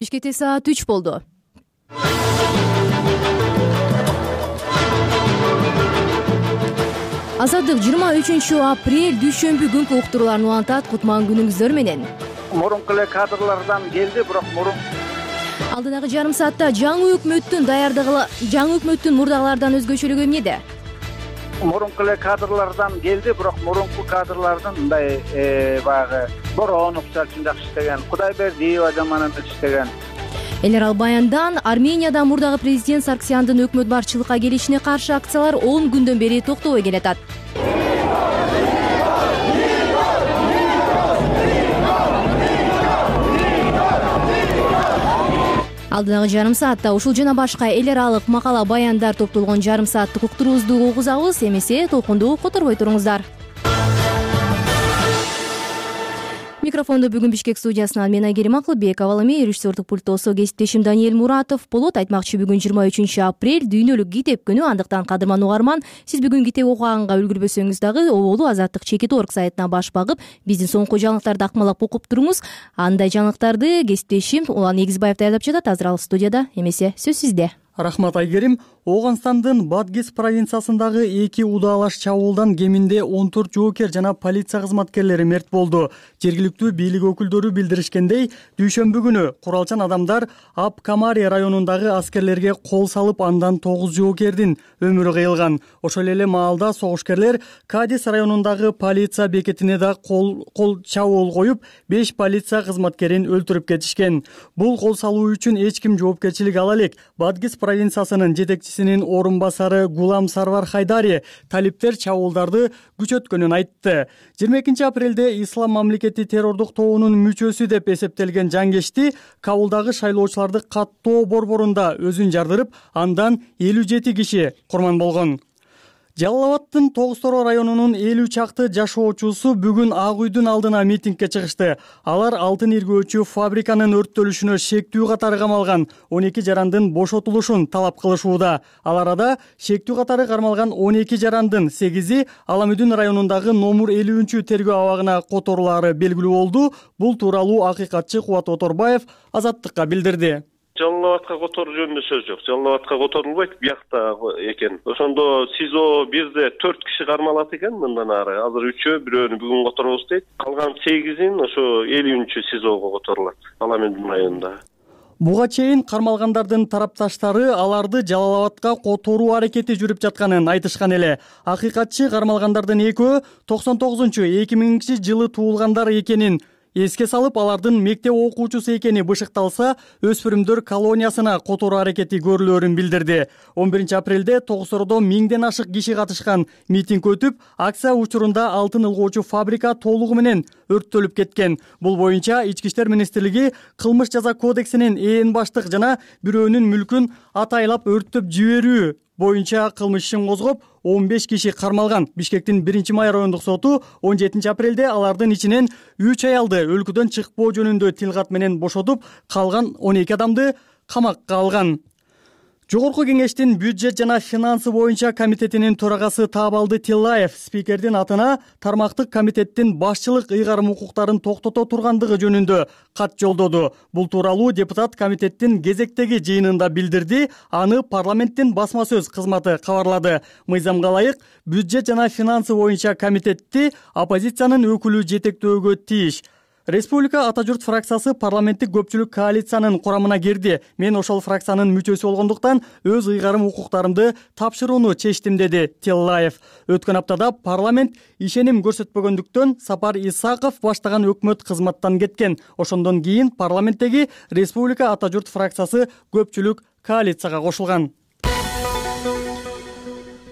Бишкекте саат 3 болду. Азаттык 23 апрель дүйшөмбү күнкү уктурууларын улантат. Кутман күнүңүздөр менен. Мурунку эле кадрлардан келди, бирок алдыдагы жарым саатта жаңы өкмөттүн мурдагылардан өзгөчөлүгү эмнеде? Мурунку эле кадрлардан келди, бирок мурунку кадрлардын мындай баягы Боронов чалчын жакшы иштеген, Кудайбердиева жаман иштеген. Эл аралык баяндан Арменияда мурдагы президент Сарксяндын өкмөт башчылыкка келишине каршы акциялар 10 күндөн бери токтобой келатат. Алдыдагы жарым саатта ушул жана башка эл аралык макала баяндар топтолгон жарым сааттык уктуруубузду угузабыз. Эмесе толкунду которбой туруңуздар. Микрофонду бүгүн Бишкек студиясынан мен Айгерим Акылбекова, ал эми режиссердук пульттосу кесиптешим Даниэль Муратов болот. Айтмакчы, бүгүн 23 апрель дүйнөлүк китеп күнү. Андыктан кадырман угарман, сиз бүгүн китеп окуганга үлгүрбөсөңүз дагы оболу Азаттык.org сайтына баш багып, биздин соңку жаңылыктарды акмалап окуп туруңуз. Андай жаңылыктарды кесиптешим Улан Эгизбаев даярдап жатат. Азыр ал студияда. Эмесе сөз сизде. Рахмат, Айгерим. Оганстандын Бадгис провинциясындагы 2 удаалаш чабуулдан кеминде 14 жоокер жана полиция кызматкерлери мерт болду. Жергиликтүү бийлик өкүлдөрү билдиришкендей, дүйшөмбү күнү куралчан адамдар Ап-Камари районундагы аскерлерге кол салып, андан 9 жоокердин өмүрү кыйылган. Ошол эле маалда согушкерлер Кадис районундагы полиция бекетине да кол чабуул коюп, 5 полиция кызматкерин өлтүрүп кетишкен. Бул кол салуу үчүн эч ким жоопкерчилик ала элек. Бадгис провинциясынын жетекчисинин орун басары Гулам Сарвар Хайдари талиптер чабуулдарды күчөткөнүн айтты. 22 апрелде Ислам мамлекети террордук тобунун мүчөсү деп эсептелген жангечти Кабулдагы шайлоочуларды каттоо борборунда өзүн жардырып, андан 57 киши курман болгон. Жалал-Абадтын Тогуз-Торо районунун 50 чакты жашоочусу бүгүн Ак үйдүн алдына митингге чыгышты. Алар алтын иргөөчү фабриканын өрттөлүшүнө шектүү катары камалган 12 жарандын бошотулушун талап кылышууда. Ал арада шектүү катары кармалган 12 жарандын 8-и Аламүдүн районундагы номер 50 тергөө абагына которулары белгилүү болду. Бул тууралуу акыйкатчы Кубат Оторбаев Азаттыкка билдирди. Жалал-Абадка которуу жөнүндө сөз жок. Жалал-Абадка которулбайт, биякта экен. Ошондо СИЗО 1де 4 киши кармалат экен, мындан ары. Азыр 3-өө, бирөөнү бүгүн которобуз дейт. Калган 8-ин ошо 50 СИЗОго которулат, Аламүдүн районунда. Буга чейин кармалгандардын тарапташтары аларды Жалал-Абадка которуу аракети жүрүп жатканын айтышкан эле. Акыйкатчы кармалгандардын экөө 99-2000 жылы туулгандар экенин эске салып, алардын мектеп окуучусу экени бышыкталса, өспүрүмдөр колониясына которуу аракети көрүлөрүн билдирди. 11 апрелде Тогуз-Тородо 1000ден ашык киши катышкан митинг өтүп, акция учурунда алтын ылгоочу фабрика толугу менен өрттөлүп кеткен. Бул боюнча Ички иштер министрлиги кылмыш жаза кодексинин ээн баштык жана бирөөнүн мүлкүн атайлап өрттөп жиберүү боюнча кылмыш ишин козгоп, 15 киши кармалган. Бишкектин 1-май райондук соту 17 апрелде алардын ичинен 3 аялды өлкөдөн чыкпоо жөнүндө тилкат менен бошотуп, калган 12 адамды камакка алган. Жогорку кеңештин бюджет жана финансы боюнча комитетинин төрагасы Таабалды Тиллаев спикердин атына тармактык комитеттин башчылык ыйгарым укуктарын токтото тургандыгы жөнүндө кат жолдоду. Бул тууралуу депутат комитеттин кезектеги жыйынында билдирди. Аны парламенттин басма сөз кызматы кабарлады. Мыйзамга ылайык бюджет жана финансы боюнча комитетти оппозициянын өкүлү жетектөөгө тийиш. Республика Ата журт фракциясы парламенттик көпчүлүк коалициянын курамына кирди. Мен ошол фракциянын мүчөсү болгондуктан өз ыйгарым укуктарымды тапшырууну чечтим, деди Тиллаев. Өткөн аптада парламент ишеним көрсөтпөгөндүктөн Сапар Исаков баштаган өкмөт кызматтан кеткен. Ошондон кийин парламенттеги Республика Ата журт фракциясы көпчүлүк коалицияга кошулган.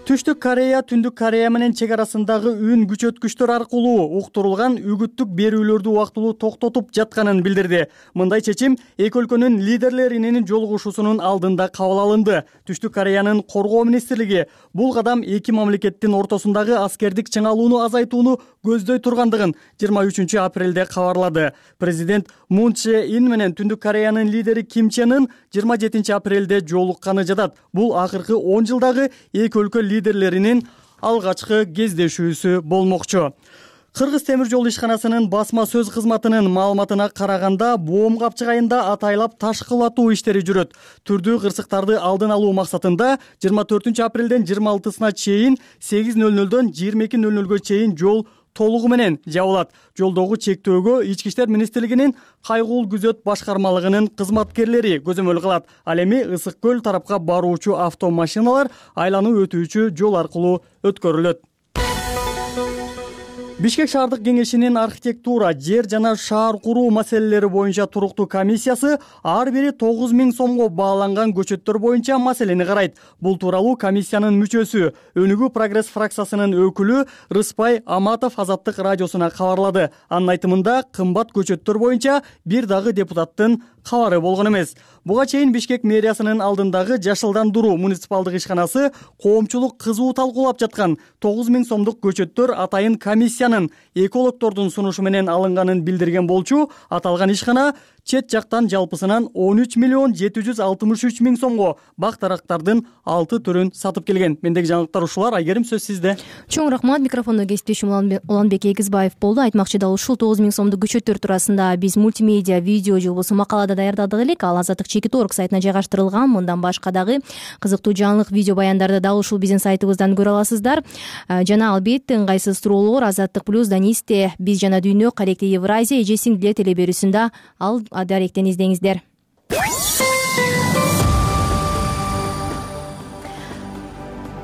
Түштүк Корея Түндүк Корея менен чек арасындагы үн күчөткүчтөр аркылуу уктурулган үгүттүк берүүлөрдү убактылуу токтотуп жатканын билдирди. Мындай чечим эки өлкөнүн лидерлеринин жолугушуусунун алдында кабыл алынды. Түштүк Кореянын коргоо министрлиги бул кадам эки мамлекеттин ортосундагы аскердик чыңалууну азайтууну көздөй тургандыгын 23 апрелде кабарлады. Президент Мун Чже Ин менен Түндүк Кореянын лидери Ким Чен Ын 27 апрелде жолукканы жатат. Бул акыркы 10 жылдагы эки өлкө лидерлеринин алгачкы кездешүүсү болмокчу. Кыргыз темир жол ишканасынын басма сөз кызматынын маалыматына караганда Боом капчык айында атайлап ташкылатуу иштери жүрөт. Түрдүү кырсыктарды алдын алуу максатында 24 апрелден 26-сына чейин 8:00дон 22:00 чейин жол толугу менен жабылат. Жолдогу чектөөгө Ички иштер министрлигинин кайгыл күзөт башкармалыгынын кызматкерлери көзөмөл кылат. Ал эми Ысык көл тарапка баруучу автомашиналар айлануу өтүүчү жол аркылуу өткөрүлөт. Бишкек шаардык кеңешинин архитектура, жер жана шаар куруу маселелери боюнча туруктуу комиссиясы ар бири 9000 сомго бааланган көчөттөр боюнча маселени карайт. Бул тууралуу комиссиянын мүчөсү, Өнүгүү прогресс фракциясынын өкүлү Рыспай Аматов Азаттык радиосуна кабарлады. Анын айтымында кымбат көчөттөр боюнча бир дагы депутаттын кабары болгон эмес. Буга чейин Бишкек мэриясынын алдындагы жашылдандыруу муниципалдык ишканасы коомчулук кызуу талкуулап жаткан 9000 сомдук көчөттөр атайын комиссиянын экологдордун сунушу менен алынганын билдирген болчу. Аталган ишкана чет жактан жалпысынан 13,763,000 сомго бак дарактардын 6 түрүн сатып келген. Мендеги жаңылыктар ушулар. Айгерим, сөз сизде. Чоң рахмат. Микрофондо кесиптешим Уланбек Эгизбаев болду. Айтмакчы дал ушул 9000 сомдук көчөттөр туурасында биз мультимедиа видео же болбосо макалада даярдадык элек. Ал Азаттык Чекит.org сайтына жайгаштырылган. Мындан башка дагы кызыктуу жаңылык видео баяндарды дал ушул биздин сайтыбыздан көрө аласыздар. Жана албетте ыңгайсыз суроолор Азаттык плюс, Данисте, Биз жана дүйнө, Каректи Евразия, эже сиңдилер теле берүүсүндө ал даректен издеңиздер.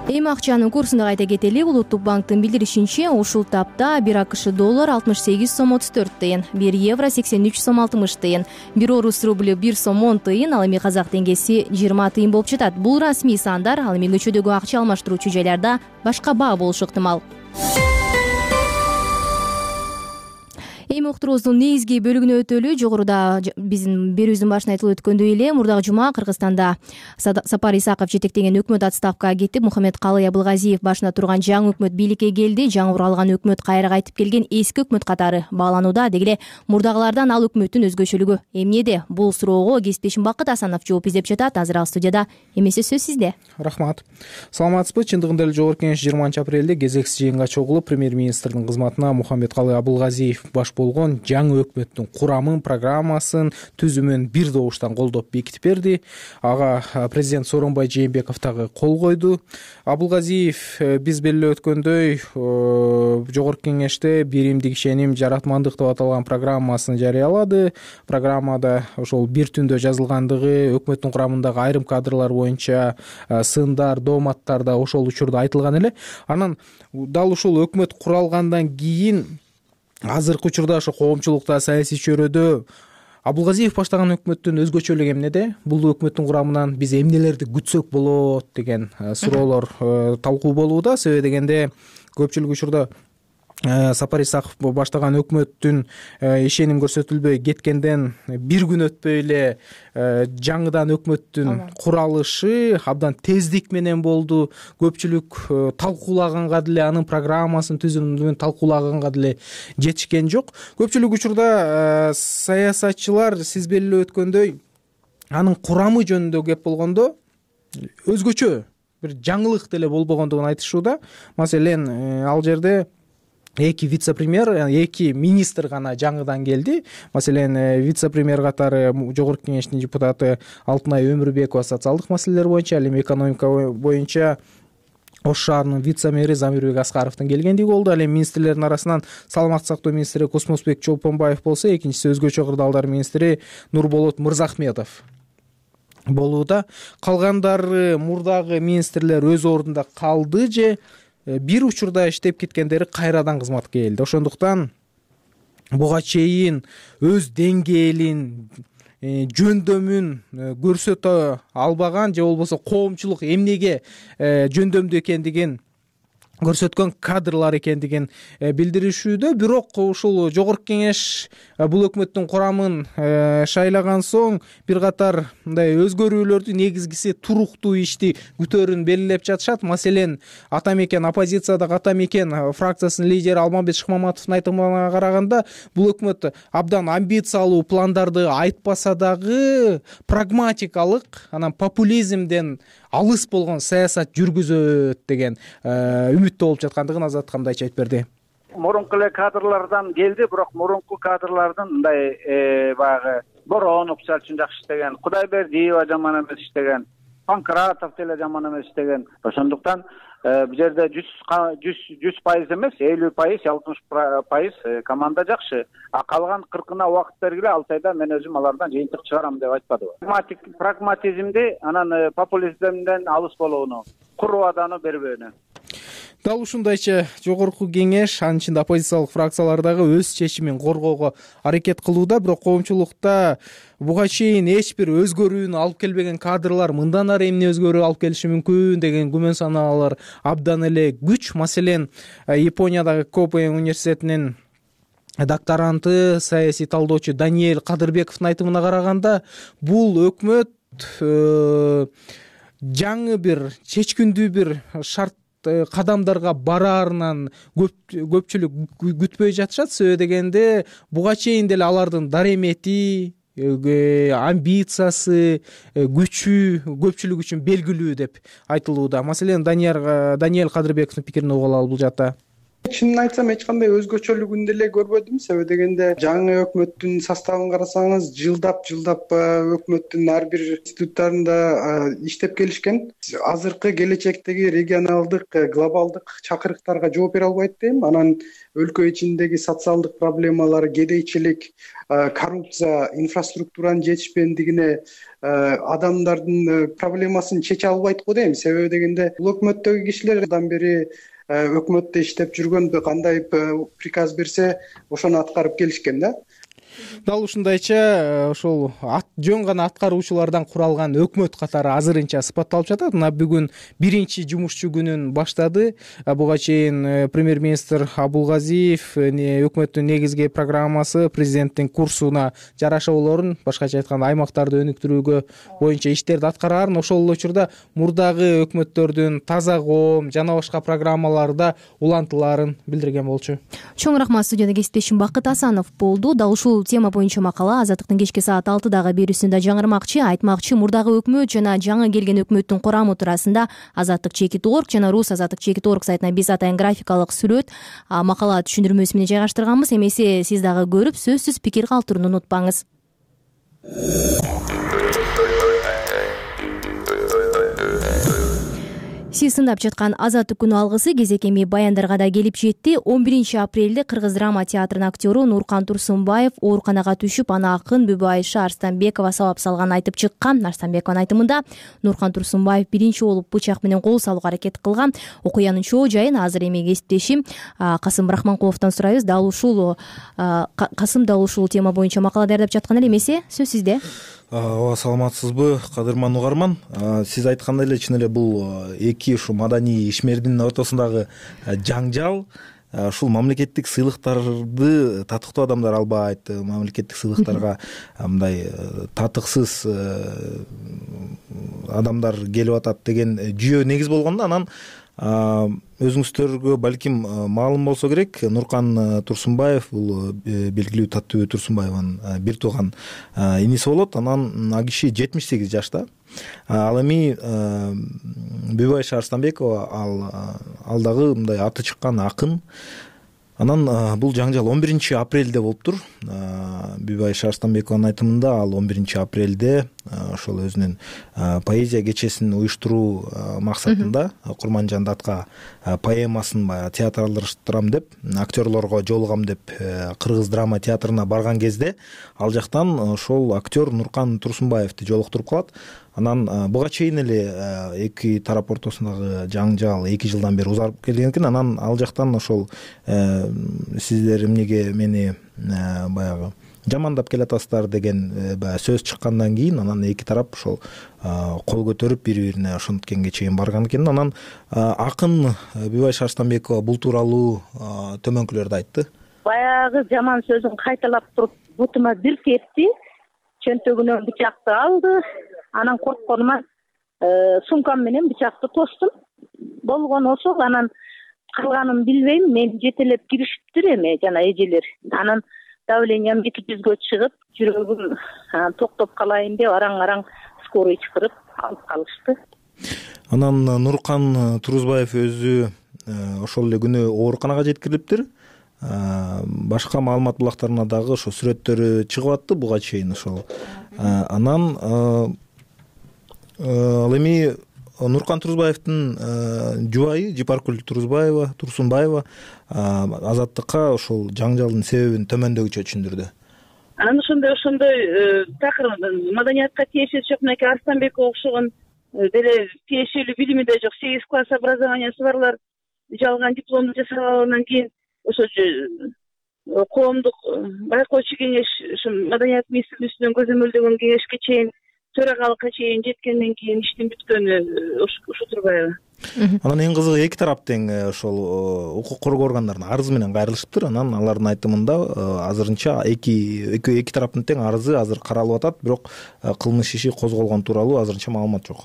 Эми акчанын курсун кайта кетели. Улуттук банктын билдиришинче, ушул тапта 1 АКШ доллар 68 сом 34 тыйын, 1 евро 83 сом 60 тыйын, 1 орус рублю 1 сом 10 тыйын, ал эми казак теңгеси 20 тыйын болуп жатат. Бул расмий сандар, ал эми көчөдөгү акча алмаштыруучу жайларда башка баа болушу ыктымал. Эми уктуруубуздун негизги бөлүгүнө өтөлү. Жогоруда биздин берүүбүздүн башында айтылып өткөндөй эле, мурдагы жума Кыргызстанда Сапар Исаков жетектеген өкмөт отставкага кетип, Мухаммедкалый Абылгазиев башында турган жаңы өкмөт бийликке келди. Жаңы куралган өкмөт кайра кайтып келген эски өкмөт катары бааланууда. Деги эле мурдагылардан ал өкмөттүн өзгөчөлүгү эмнеде? Бул суроого кесиптешим Бакыт Асанов жооп издеп жатат. Азыр ал студияда. Эмесе сөз сизде. Рахмат. Саламатсызбы? Чындыгында эле Жогорку Кеңеш 20 апрелде кезексиз жыйынга чогулуп, премьер-министрдин кызматына Мухаммедкалый Абылгазиев баш болгон жаңы өкмөттүн курамын, программасын, түзүмүн бир добуштан колдоп бекитип берди. Ага президент Сооронбай Жээнбеков дагы кол койду. Абылгазиев биз белгилеп өткөндөй Жогорку Кеңеште биримдик ишеним, жаратмандык деп аталган программасын жарыялады. Программада ошол бир түндө жазылгандыгы, өкмөттүн курамындагы айрым кадрлар боюнча сындар, дооматтар да ошол учурда айтылган эле. Анан дал ушул өкмөт куралгандан кийин азыркы учурда ошо коомчулукта, саясий чөйрөдө Абылгазиев баштаган өкмөттүн өзгөчөлүгү эмнеде? Бул өкмөттүн курамынан биз эмнелерди күтсөк болот деген суроолор талкуу болууда. Себеби дегенде көпчүлүк учурда Сапар Исаков баштаган өкмөттүн ишеним көрсөтүлбөй кеткенден бир күн өтпөй эле жаңыдан өкмөттүн куралышы абдан тездик менен болду. Көпчүлүк талкуулаганга деле, анын программасын, түзүмүн талкуулаганга деле жетишкен жок. Көпчүлүк учурда саясатчылар сиз белгилеп өткөндөй анын курамы жөнүндө кеп болгондо өзгөчө бир жаңылык деле болбогондугун айтышууда. Маселен, ал жерде эки вице-премьер, эки министр гана жаңыдан келди. Маселен, вице-премьер катары Жогорку Кеңештин депутаты Алтынай Өмүрбекова социалдык маселелер боюнча, ал эми экономика боюнча Ош шаарынын вице-мэри Замирбек Аскаровдун келгендиги болду. Ал эми министрлердин арасынан саламаттык сактоо министри Космосбек Чолпонбаев болсо, экинчиси өзгөчө кырдаалдар министри Нурболот Мырзахметов болууда. Калгандары мурдагы министрлер өз ордунда калды же бир учурда иштеп кеткендери кайрадан кызматка келди. Ошондуктан буга чейин өз деңгээлин, жөндөмүн көрсөтө албаган же болбосо коомчулук эмнеге жөндөмдүү экендигин көрсөткөн кадрлар экендигин билдиришүүдө. Бирок ушул Жогорку Кеңеш бул өкмөттүн курамын шайлаган соң бир катар мындай өзгөрүүлөрдү, негизгиси туруктуу ишти күтөөрүн белгилеп жатышат. Маселен, атамекен оппозициядагы атамекен фракциясынын лидери Алмамбет Шыкмаматовдун айтымына караганда, бул өкмөт абдан амбициялуу пландарды айтпаса дагы прагматикалык, анан популизмден алыс болгон саясат жүргүзөт деген үмүттө болуп жаткандыгын Азаттык мындайча айтып берди. Мурунку эле кадрлардан келди, бирок мурунку кадрлардын мындай баягы Боронов мисалы үчүн жакшы иштеген, Кудайбердиева жаман эмес иштеген, Панкратов деле жаман эмес иштеген. Ошондуктан бул жерде 100% эмес, 50%, 60% команда жакшы. А калган 40-ына убакыт бергиле, 6 айда мен өзүм алардан жыйынтык чыгарам деп айтпадыбы. Прагматизмди, анан популизмден алыс болууну, курубаданы бербөөнү. Дал ушундайча жогорку кеңеш анын ичинде оппозициялык фракциялар дагы өз чечимин коргоого аракет кылууда, бирок коомчулукта буга чейин эч бир өзгөрүүнү алып келбеген кадрлар мындан ары эмне өзгөрүү алып келиши мүмкүн деген күмөн санаалар абдан эле күч. Маселен, Япониядагы Копен университетинин докторанты, саясий талдоочу Даниэль Кадырбековдун айтымына караганда, бул өкмөт жаңы бир чечкиндүү бир шарт кадамдарга бараарынан көпчүлүк күтпөй жатышат. Себеби дегенде буга чейин деле алардын даремети, амбициясы, күчү көпчүлүк үчүн белгилүү деп айтылууда. Маселен, Даниэль Кадырбековдун пикирин угуп алалы бул жакта. Чынын айтсам, эч кандай өзгөчөлүгүн деле көрбөдүм. Себеби дегенде жаңы өкмөттүн составын карасаңыз, жылдап өкмөттүн ар бир институттарында иштеп келишкен. Азыркы келечектеги регионалдык, глобалдык чакырыктарга жооп бере албайт дейм. Анан өлкө ичиндеги социалдык проблемалар, кедейчилик, коррупция, инфраструктуранын жетишпендигине, адамдардын проблемасын чече албайт го дейм. Себеби дегенде бул өкмөттөгү кишилер андан бери өкмөттө иштеп жүргөн, кандай приказ берсе ошону аткарып келишкен да. Дал ушундайча ошол жөн гана аткаруучулардан куралган өкмөт катары азырынча сыпатталып жатат. Мына бүгүн биринчи жумушчу күнүн баштады. Буга чейин премьер-министр Абулгазиев өкмөттүн негизги программасы, президенттин курсуна жараша болорун, башкача айтканда аймактарды өнүктүрүүгө боюнча иштерди аткарарын, ошол эле учурда мурдагы өкмөттөрдүн таза коом жана башка программаларда улантылаарын билдирген болчу. Чоң рахмат. Студияда кесиптешим Бакыт Асанов болду. Дал ушул тема боюнча макала Азаттыктын кечки саат 6-дагы берүүсүндө жаңырмакчы. Айтмакчы, мурдагы өкмөт жана жаңы келген өкмөттүн курамы туурасында Азаттык.org жана Рус Азаттык.org сайтына биз атайын графикалык сүрөт, макала түшүндүрмөсү менен жайгаштырганбыз. Эмесе сиз дагы көрүп, сөзсүз пикир калтырууну унутпаңыз. Сиз сындап жаткан Азаттык күнү алгысы кезек эми баяндарга да келип жетти. 11-апрелде Кыргыз драма театрынын актёру Нуркан Турсунбаев ооруканага түшүп, аны акын Бүбүайша Арстанбекова сабап салганын айтып чыккан. Арстанбекованын айтымында Нуркан Турсунбаев биринчи болуп бычак менен кол салууга аракет кылган. Окуянын чоо жайын азыр эми кесиптешим Касым Рахманкуловдон сурайбыз. Дал ушул тема боюнча макала даярдап жаткан эле. Эмесе сөз сизде. Ооба, саламатсызбы, кадырман угарман. Сиз айткандай эле чын эле бул эки ушу маданий ишмердин ортосундагы жаңжал ушул мамлекеттик сыйлыктарды татыктуу адамдар албайт, мамлекеттик сыйлыктарга мындай татыксыз адамдар келип атат деген жүйө негиз болгондо, анан өзүңүздөргө балким маалым болсо керек, Нуркан Турсунбаев бул белгилүү Таттыбү Турсунбаеванын бир тууган иниси болот. Анан ал киши 78 жашта. Ал эми Бүбүайша Арстанбекова ал дагы мындай аты чыккан акын. Анан бул жаңжал 11-апрелде болуптур. Бүбүайша Арстанбекованын айтымында ал 11-апрелде ошол өзүнүн поэзия кечесин уюштуруу максатында Курманжан Датка поэмасын баягы театралдаштырам деп, актерлорго жолугам деп Кыргыз драма театрына барган кезде ал жактан ошол актер Нуркан Турсунбаевди жолуктуруп калат. Анан буга чейин эле эки тарап ортосундагы жаңжал 2 жылдан бери узарып келген экен. Анан ал жактан ошол сиздер эмнеге мени баягы жамандап келатасыздар деген баягы сөз чыккандан кийин анан эки тарап ошол кол көтөрүп бири-бирине ошонткенге чейин барган экен. Анан акын Бүбүайша Арстанбекова бул тууралуу төмөнкүлөрдү айтты. Баягы жаман сөзүн кайталап туруп бутума бир тепти, чөнтөгүнөн бычакты алды. Анан коркконуман сумкам менен бычакты тостум. Болгону ошол. Анан калганын билбейм, мен жетелеп киришиптир эми жана эжелер. Анан давлениям 200-гө чыгып, жүрөгүм токтоп калайын деп араң-араң скорый чакырып алып калышты. Анан Нуркан Турсунбаев өзү ошол эле күнү ооруканага жеткирилиптир. башка маалымат булактарына дагы ошо сүрөттөрү чыгып атты буга чейин ошол. Анан ал эми Нуркан Турузбаевдин жубайы Жипаркүл Турсунбаева Азаттыкка ошол жаңжалдын себебин төмөндөгүчө түшүндүрдү. Анан ошондой такыр маданиятка тиешеси жок, мынакей Арстанбекке окшогон деле тиешелүү билими да жок, 8 класс образованиясы барлар жалган дипломду жасап алгандан кийин ошо коомдук байкоочу кеңеш, ошо маданият министрлигинин көзөмөлдөгөн кеңешке чейин, төрагалыкка чейин жеткенден кийин иштин бүткөнү ушу Турбаева. Анан эң кызыгы эки тарап тең ошол укук коргоо органдарына арыз менен кайрылышыптыр. Анан алардын айтымында азырынча эки тараптын тең арызы азыр каралып атат, бирок кылмыш иши козголгон тууралуу азырынча маалымат жок.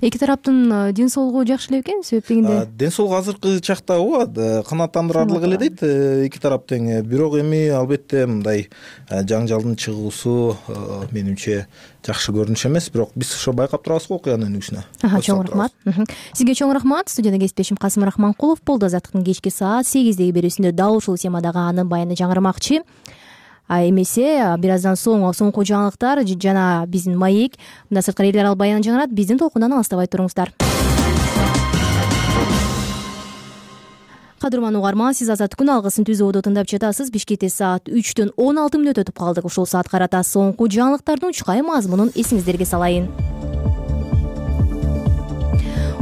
Эки тараптын ден соолугу жакшы эле бекен себептегинде? Ден соолугу азыркы чакта ооба канааттандырарлык эле дейт эки тарап тең. Бирок эми албетте мындай жаңжалдын чыгуусу менимче жакшы көрүнүш эмес, бирок биз ошо байкап турабыз го окуянын өнүгүүсүнө. Чоң рахмат. Сизге чоң рахмат. Студияда кесиптешим Касым Рахманкулов болду. Азаттыктын кечки саат 8деги берүүсүндө дал ушул темадагы анын баяны жаңырмакчы. Эмесе бир аздан соң соңку жаңылыктар жана биздин маек мында сырткары элдер ал баянын жаңырат. Биздин толкундан алыстабай туруңуздар. Кадырман угарман, сиз Азаттык күн алгысын түзүүдө тыңдап жатасыз. Бишкекте саат 3-төн 16 мүнөт өтүп калдык. Ушул саат карата соңку жаңылыктардын учкай мазмунун эсиңиздерге салайын.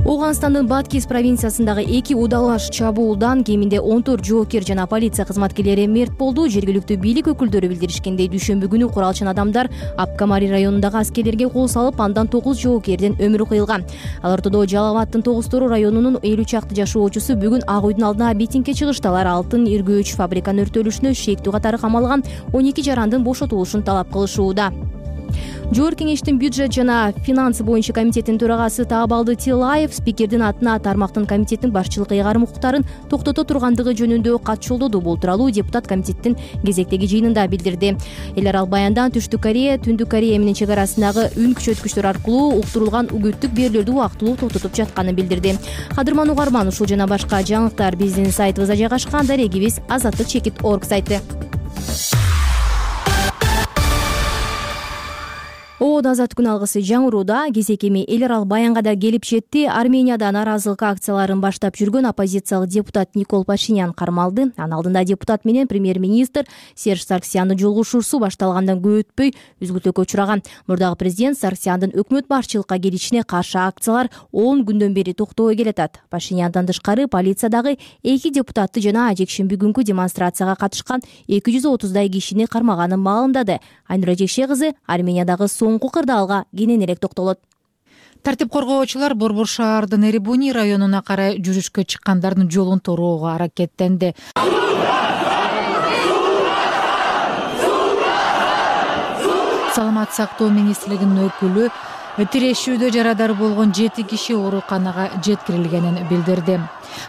Оганстандын Баткис провинциясындагы 2 удалаш чабуулдан кеминде 14 жоокер жана полиция кызматкерлери мерт болду. Жергиликтүү бийлик өкүлдөрү билдиришкендей, дүйшөмбү күнү куралчан адамдар Апкамари районундагы аскерлерге кол салып, андан 9 жоокердин өмүрү кыйылган. Ал ортодо Жалалабадтын Тогуз-Тору районунун 50 чакты жашоочусу бүгүн Ак үйдүн алдына митингге чыгыштылар. Алтын иргөөч фабриканын өртөлүшүнө шектүү катары камалган 12 жарандын бошотулушун талап кылышууда. Жогорку кеңештин бюджет жана финансы боюнча комитетинин төрагасы Таабалды Тилаев спикердин атына тармактын комитеттин башчылык ыйгарым укуктарын токтото тургандыгы жөнүндө кат жолдоду. Бул тууралуу депутат комитеттин кезектеги жыйынында билдирди. Элер ал баяндан Түштүк Корея, Түндүк Корея менен чек арасындагы үн күчөткүчтөр аркылуу уктурулган үгүттүк берүүлөрдү убактылуу токтотуп жатканын билдирди. Кадырман угарман, ушул жана башка жаңылыктар биздин сайтыбызда жайгашкан. Дарегибиз azatlyk.org сайты. Азаттык күн алгысы жаңырууда. Кезек эми элер ал баянга да келип жетти. Арменияда наразылык акцияларын баштап жүргөн оппозициялык депутат Никол Пашинян кармалды. Анын алдында депутат менен премьер-министр Серж Сарксяндын жолугушуусу башталгандан көп өтпөй үзгүлтүүгө учураган. Мурдагы президент Сарксяндын өкмөт башчылыкка келишине каршы акциялар 10 күндөн бери токтобой келатат. Пашиняндан тышкары полициядагы 2 депутатты жана жекшемби күнкү демонстрацияга катышкан 230дай кишини кармаганын маалымдады. Айнура Жекше кызы Армениядагы соңку кырдаалга кененирээк токтолот. Тартип коргоочулар Борбор шаардын Эребуни районуна карай жүрүшкө чыккандардын жолун тороого аракеттенди. Саламат сактоо министрлигинин өкүлү тирешүүдө жарадар болгон 7 киши ооруканага жеткирилгенин билдирди.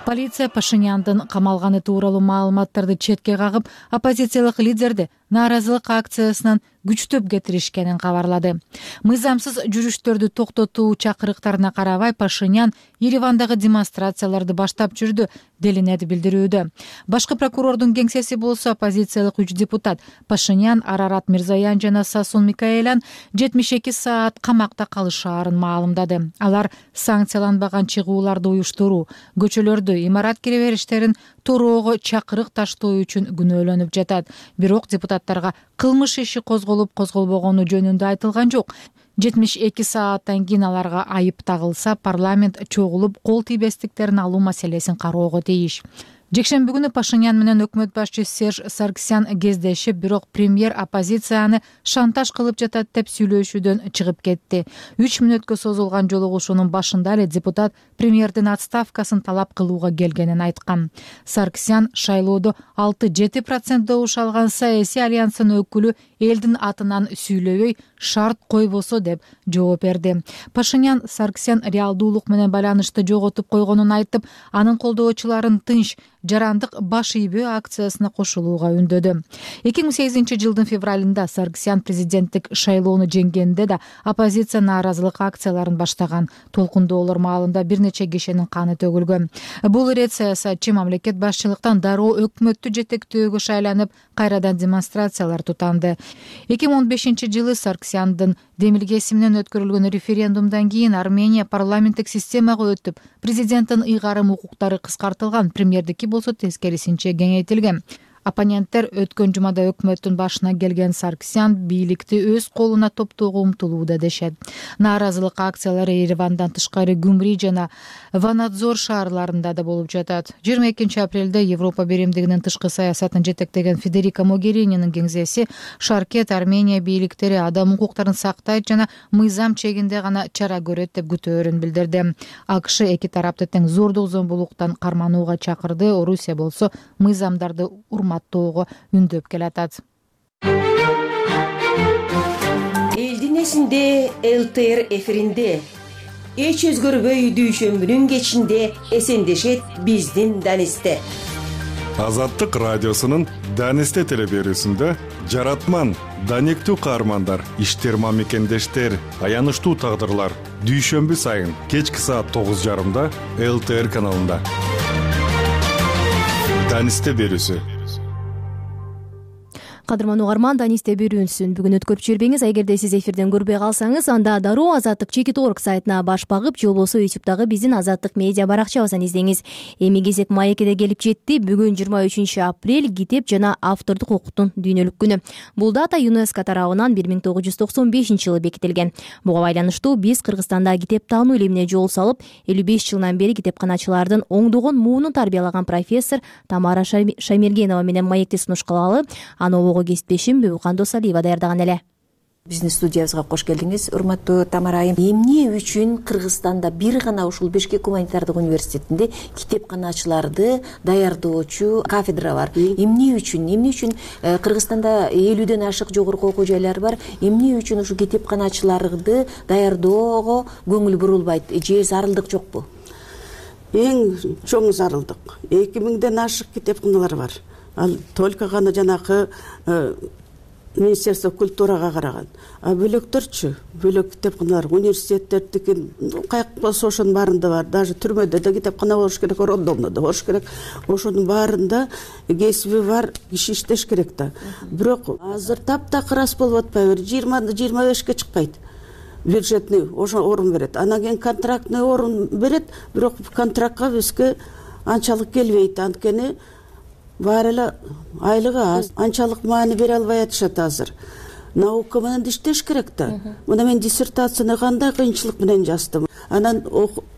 Полиция Пашиняндын камалганы тууралуу маалыматтарды четке кагып, оппозициялык лидерди нааразылык акциясынан күчтөп кетиришкенин кабарлады. Мыйзамсыз жүрүштөрдү токтотуу чакырыктарына карабай Пашинян Еревандагы демонстрацияларды баштап жүрдү делинет билдирүүдө. Башкы прокурордун кеңсеси болсо оппозициялык 3 депутат Пашинян, Арарат Мирзаян жана Сасун Микаэлян 72 саат камакта калышаарын маалымдады. Алар санкцияланбаган чыгууларды уюштуруу, көчөлөрдө имарат киребериштерин тороого чакырык таштоо үчүн күнөөлөнүп жатат. Бирок депутаттарга кылмыш иши козголбогону жөнүндө айтылган жок. 72 сааттан кийин аларга айып тагылса, парламент чогулуп кол тийбестиктерин алуу маселесин кароого тийиш. Жекшемби күнү Пашинян менен өкмөт башчысы Серж Сарксян кездешип, бирок премьер оппозицияны шантаж кылып жатат деп сүйлөшүүдөн чыгып кетти. 3 мүнөткө созулган жолугушуунун башында эле депутат премьердин отставкасын талап кылууга келгенин айткан. Сарксян шайлоодо 6-7% добуш алган саясий альянстын өкүлү элдин атынан сүйлөбөй шарт койбосо деп жооп берди. Пашинян Сарксян реалдуулук менен байланышты жоготуп койгонун айтып, анын колдоочуларын тынч, жарандык баш ийбөө акциясына кошулууга үндөдү. 2008 жылдын февралында Сарксян президенттик шайлоону жеңгенде да оппозиция нааразылык акцияларын баштаган. Толкундоолор маалында бир нече кишинин каны төгүлгөн. Бул ирет саясатчы мамлекет башчылыктан дароо өкмөттү жетектөөгө шайланып, кайрадан демонстрациялар тутанды. 2015 жылы Сарксяндын демилгеси менен өткөрүлгөн референдумдан кийин Армения парламенттик системага өтүп, президенттин ыйгарым укуктары кыскартылган, премьердики болсо тескерисинче кеңейтилген. Оппоненттер өткөн жумада өкмөттүн башына келген Сарксян бийликти өз колуна топтоого умтулууда дешет. Нааразылык акциялары Еревандан тышкары Гюмри жана Ванадзор шаарларында да болуп жатат. 22 апрелде Европа биримдигинин тышкы саясатын жетектеген Федерика Могерининин кеңсеси Шаркет Армения бийликтери адам укуктарын сактайт жана мыйзам чегинде гана чара көрөт деп күтөөрүн билдирди. АКШ эки тарапты тең зордук зомбулуктан карманууга чакырды. Орусия болсо мыйзамдарды урматтоого үндөп келатат. Элдин эсинде ЛТР эфиринде эч өзгөрбөй дүйшөмбүнүн кечинде эсендешет биздин Данисте. Азаттык радиосунун Данисте телеберүүсүндө жаратман, даниктүү каармандар, иштерма мекендештер, аянычтуу тагдырлар дүйшөмбү сайын кечки саат 9:30 ЛТР каналында. Данисте берүүсү. Кадырман угарман, Данисте берүүсүн бүгүн өткөрүп жибербеңиз. Эгерде сиз эфирден көрбөй калсаңыз, анда дароо Азаттык Чекит.org сайтына баш багып, же болбосо YouTube'дагы биздин Азаттык медиа баракчабыздан издеңиз. Эми кезек маекеде келип жетти. Бүгүн 23 апрель китеп жана автордук укуктун дүйнөлүк күнү. Бул дата ЮНЕСКО тарабынан 1995 жылы бекитилген. Буга байланыштуу биз Кыргызстанда китеп таануу илимине жол салып, 55 жылдан бери китепканачылардын оңдогон муунун тарбиялаган профессор Тамара Шаймергенова менен маекти сунушталалы. Аны кесиптешим Бүбүкан Досалиева даярдаган эле. Биздин студиябызга кош келдиңиз, урматтуу Тамара айым. Эмне үчүн Кыргызстанда бир гана ушул Бишкек гуманитардык университетинде китепканачыларды даярдоочу кафедра бар? Эмне үчүн Кыргызстанда 50ден ашык жогорку окуу жайлар бар. Эмне үчүн ушу китепканачыларды даярдоого көңүл бурулбайт же зарылдык жокпу? Эң чоң зарылдык. 2000ден ашык китепканалар бар. Ал только гана жанакы Министерство культурага караган. А бөлөктөрчү, бөлөк китепканалар, университеттердики каяк болсо ошонун баарында бар. Даже түрмөдө да китепкана болуш керек, роддомдо да болуш керек. Ошонун баарында кесиби бар киши иштеш керек да. Бирок азыр таптакыр ас болуп атпайбы? 20-25ке чыкпайт. Бюджетный ошо орун берет. Анан кийин контрактный орун берет, бирок контрактка бизге анчалык келбейт. Анткени баары эле айлыгы аз, анчалык маани бере албай атышат азыр. Наука менен иштеш керек да. Мына мен диссертацияны кандай кыйынчылык менен жаздым. Анан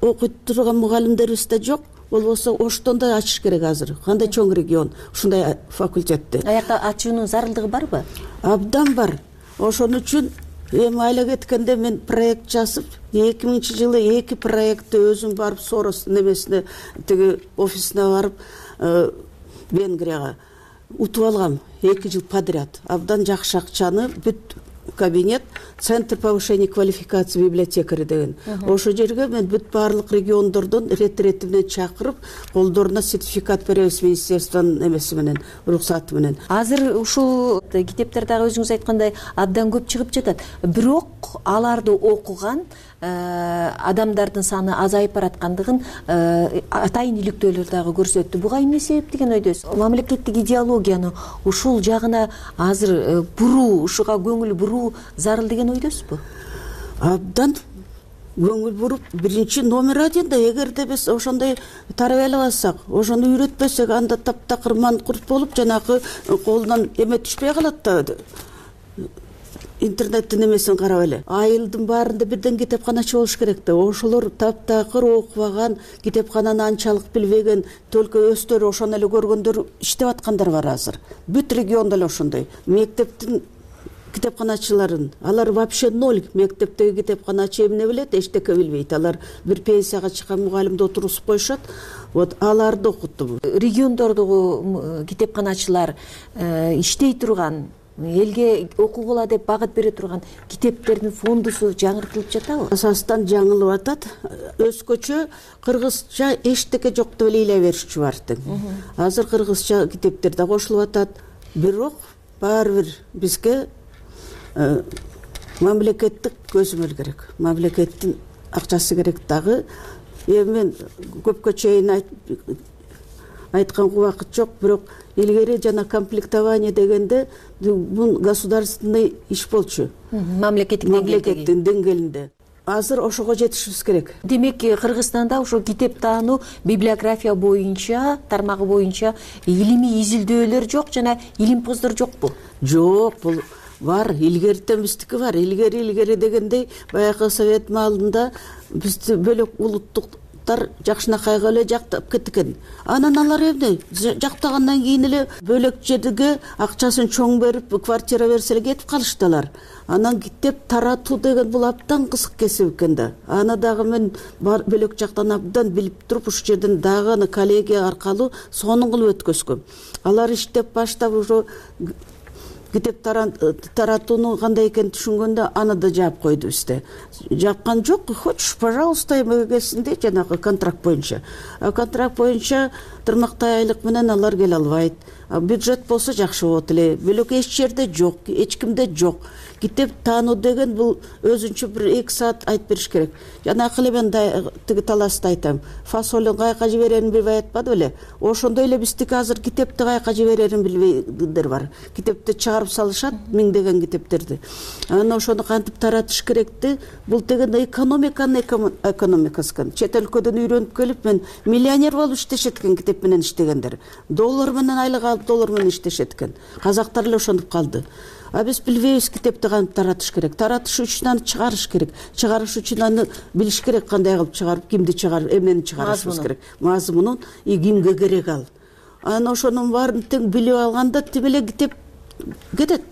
окуйт турган мугалимдерибиз да жок. Болбосо Оштон да ачыш керек азыр. Кандай чоң регион ушундай факультетти. Аякта ачуунун зарылдыгы барбы? Абдан бар. Ошон үчүн эми айла кеткенде мен проект жазып, 2000 жылы 2 проектти өзүм барып Сорос немесине тиги офисине барып Венгрияга утуп алгам 2 жыл подряд. Абдан жакшы акчаны бүт кабинет, Центр повышения квалификации библиотекари деген. Ошо жерге мен бүт барлык региондордон рет менен чакырып, колдоруна сертификат беребиз министерствонун эмеси менен, уруксаты менен. Азыр ушул китептер дагы өзүңүз айткандай абдан көп чыгып жатат. Бирок аларды окуган адамдардын саны азайып бараткандыгын атайын иликтөөлөр дагы көрсөттү. Буга эмне себеп деген ойдосуз? Мамлекеттик идеологияны ушул жагына азыр буруу, ушуга көңүл буруу зарыл деген ойдосузбу? Абдан көңүл буруп, биринчи номер 1 да эгерде биз ошондой тарбиялабасак, ошону үйрөтпөсөк, анда таптакыр манкурт болуп, жанагы колунан эме түшпөй калат да. Интернеттин эмесин карап эле. Айылдын баарында бирден китепканачы болуш керек да. Ошолор таптакыр окубаган, китепкананы анчалык билбеген, только өздөрү ошону эле көргөндөр иштеп аткандар бар азыр. Бүт региондо эле ошондой. Мектептин китепканачыларын, алар вообще ноль. Мектептеги китепканачы эмне билет, эчтеке билбейт. Алар бир пенсияга чыккан мугалимди отургузуп коюшат. Вот аларды окуттум. Региондордогу китепканачылар иштей турган элге окугула деп багыт бере турган китептердин фондусу жаңыртылып жатабы? Асастан жаңылып атат. Өзгөчө кыргызча эчтеке жок деп эле ыйлай беришчү бар тең. Азыр кыргызча китептер да кошулуп атат. Бирок баары бир бизге мамлекеттик көзөмөл керек. Мамлекеттин акчасы керек дагы. Мен көпкө чейин айтканга убакыт жок, бирок илгери жана комплектование дегенде бул государственный иш болчу. Мамлекеттин деңгээлинде. Азыр ошого жетишибиз керек. Демек, Кыргызстанда ошо китеп таануу, библиография боюнча, тармагы боюнча илимий изилдөөлөр жок жана илимпоздор жокпу? Жок, бул бар, илгертен биздики бар. Илгери дегендей баягы совет маалында бизди бөлөк улуттуктар жакшынакайга эле жактап кеткен. Анан алар эмне жактагандан кийин эле бөлөк жерге акчасын чоң берип, квартира берсе эле кетип калыштылар. Анан китеп таратуу деген бул абдан кызык кесип экен да. Аны дагы мен бөлөк жактан абдан билип туруп, ушул жерден дагы аны коллегия аркылуу сонун кылып өткөзгөм. Алар иштеп баштап ошо китеп таратууну кандай экенин түшүнгөндө аны да жаап койду бизде. Жапкан жок, хочешь, пожалуйста, эмеге келсин де, жанагы контракт боюнча. Контракт боюнча тырмактай айлык менен алар келе албайт. Бюджет болсо жакшы болот эле. Бөлөк эч жерде жок, эч кимде жок. Китеп таануу деген бул өзүнчө бир 2 саат айтып бериш керек. Жанакы эле мен тиги таласта айтам. Фасолун кайка жиберерин билбей атпады беле? Ошондой эле биздики азыр китепти кайка жиберерин билбейдер бар. Китепти чыгарып салышат, миңдеген китептерди. Анан ошону кантип таратыш керекти? Бул деген экономикасы. Чет өлкөдөн үйрөнүп келип, мен миллионер болуп иштешет экен китеп менен иштегендер. Доллар менен айлык алып, доллар менен иштешет экен. Казактар эле ошентип калды. Биз билбейбиз китепти кантип таратыш керек. Таратыш үчүн аны чыгарыш керек. Чыгарыш үчүн аны билиш керек, кандай кылып чыгарып, кимди чыгарып, эмнени чыгарышыбыз керек. Мазмунун кимге керек ал. Анан ошонун баарын тең билип алганда тим эле китеп кетет.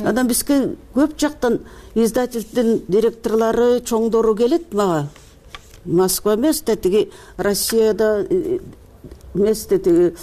Анан бизге көп жактан издательдин директорлору, чоңдору келет мага. Москва эмес, тиги Россияда эмес, тиги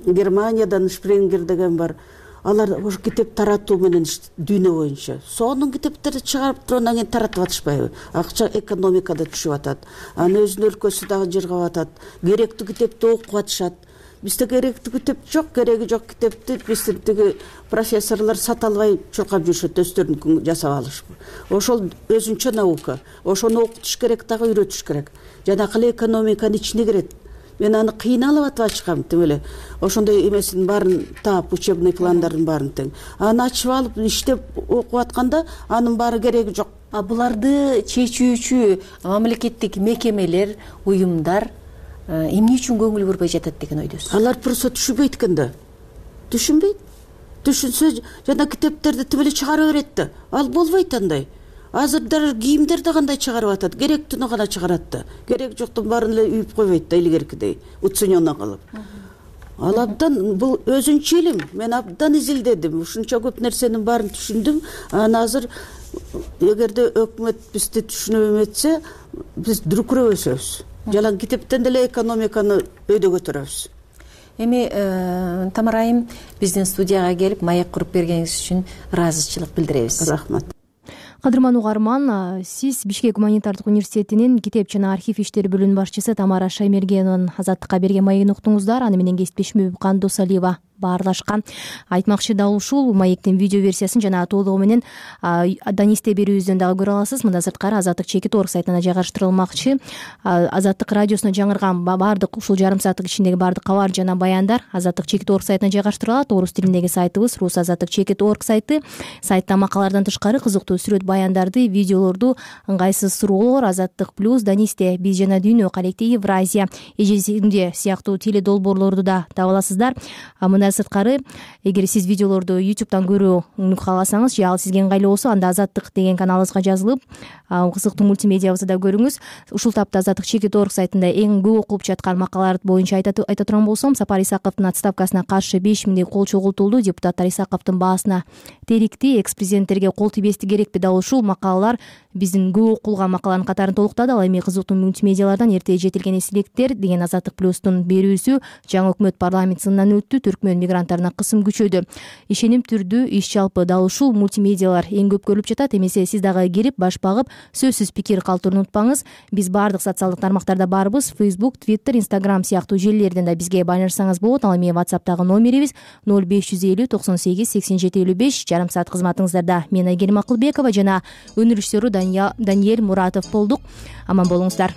Германиядан Шпрингер деген бар. Алар ошо китеп таратуу менен дүйнө боюнча. Сонун китептерди чыгарып туруп анан кийин таратып атышпайбы? Акча экономикада түшүп атат. Анын өзүнүн өлкөсү дагы жыргап атат. Керектүү китепти окуп атышат. Бизде керектүү китеп жок, кереги жок китепти биздин тиги профессорлор сата албай чуркап жүрүшөт, өздөрүнүн жасап алышып. Ошол өзүнчө наука. Ошону окутуш керек дагы, үйрөтүш керек. Жанакы эле экономиканын ичине кирет. Мен аны кыйналып атып ачкам тим эле. Ошондой эмесин баарын таап, учебный пландардын баарын тең. Аны ачып алып иштеп окуп атканда анын баары кереги жок. Буларды чечүүчү мамлекеттик мекемелер, уюмдар эмне үчүн көңүл бурбай жатат деген ойдосуз? Алар просто түшүнбөйт экен да. Түшүнбөйт. Түшүнсө жана китептерди тим эле чыгара берет да. Ал болбойт андай. Азыр даже кийимдерди кандай чыгарып атат, керектүүнү гана чыгарат да. Керек жоктун баарын эле үйүп койбойт да, илгеркидей, уцененно кылып. Ал абдан бул өзүнчө илим. Мен абдан изилдедим. Ушунча көп нерсенин баарын түшүндүм. Анан азыр эгерде өкмөт бизди түшүнүп эметсе, биз дүркүрөп өсөбүз. Жалаң китептен деле экономиканы өйдө көтөрөбүз. Эми Тамара айым, биздин студияга келип маек куруп бергениңиз үчүн ыраазычылык билдиребиз. Рахмат. Кадырман угарман, сиз Бишкек гуманитардык университетинин китеп жана архив иштери бөлүмүнүн башчысы Тамара Шаймергенованын Азаттыкка берген маегин уктуңуздар. Аны менен кесиптешим Кандос Алиева баарлашкан. Айтмакчы дал ушул маектин видео версиясын жана толугу менен Данисте берүүбүздөн дагы көрө аласыз. Мында сырткары Азаттык чекит.org сайтына жайгаштырылмакчы. Азаттык радиосуна жаңырган баардык ушул жарым сааттык ичиндеги баардык кабар жана баяндар Азаттык чекит.org сайтына жайгаштырылат. Орус тилиндеги сайтыбыз Рус Азаттык чекит.org сайты. Сайтта макалалардан тышкары кызыктуу сүрөт баяндарды, видеолорду, ыңгайсыз суроолор, Азаттык плюс, Данисте, биз жана дүйнө, коллектив Евразия, эжесинде сыяктуу теледолбоорлорду да таба аласыздар. Мындан сырткары, эгер сиз видеолорду YouTube'дан көрүүнү кааласаңыз, же ал сизге ыңгайлуу болсо, анда Азаттык деген каналыбызга жазылып, кызыктуу мультимедиябызды да көрүңүз. Ушул тапта Азаттык чекит.org сайтында эң көп окулуп жаткан макалалар боюнча айта турган болсом, Сапар Исаковдун отставкасына каршы 5000 кол чогултулду. Депутаттар Исаковдун баасына терикти, экс-президенттерге кол тийбести керекпи? Дал ушул макалалар биздин көп окулган макаланын катарын толуктады. Ал эми кызыктуу мультимедиалардан эрте жетилген эстеликтер деген Азаттык плюстун берүүсү. Жаңы өкмөт парламент сынынан өттү. Түркмөн мигранттарына кысым күчөдү. Ишеним түрдүү иш жалпы дал ушул мультимедиалар эң көп көрүлүп жатат. Эмесе сиз дагы кирип баш багып сөзсүз пикир калтырууну унутпаңыз. Биз баардык социалдык тармактарда барбыз. Facebook, Twitter, Instagram сыяктуу желилерден да бизге байланышсаңыз болот. Ал эми WhatsApp'тагы номерибиз 0550 98 87 55. Жарым саат кызматыңыздарда мен Айгерим Акылбекова жана өнөр режиссеру Даниэль Муратов болдук. Аман болуңуздар.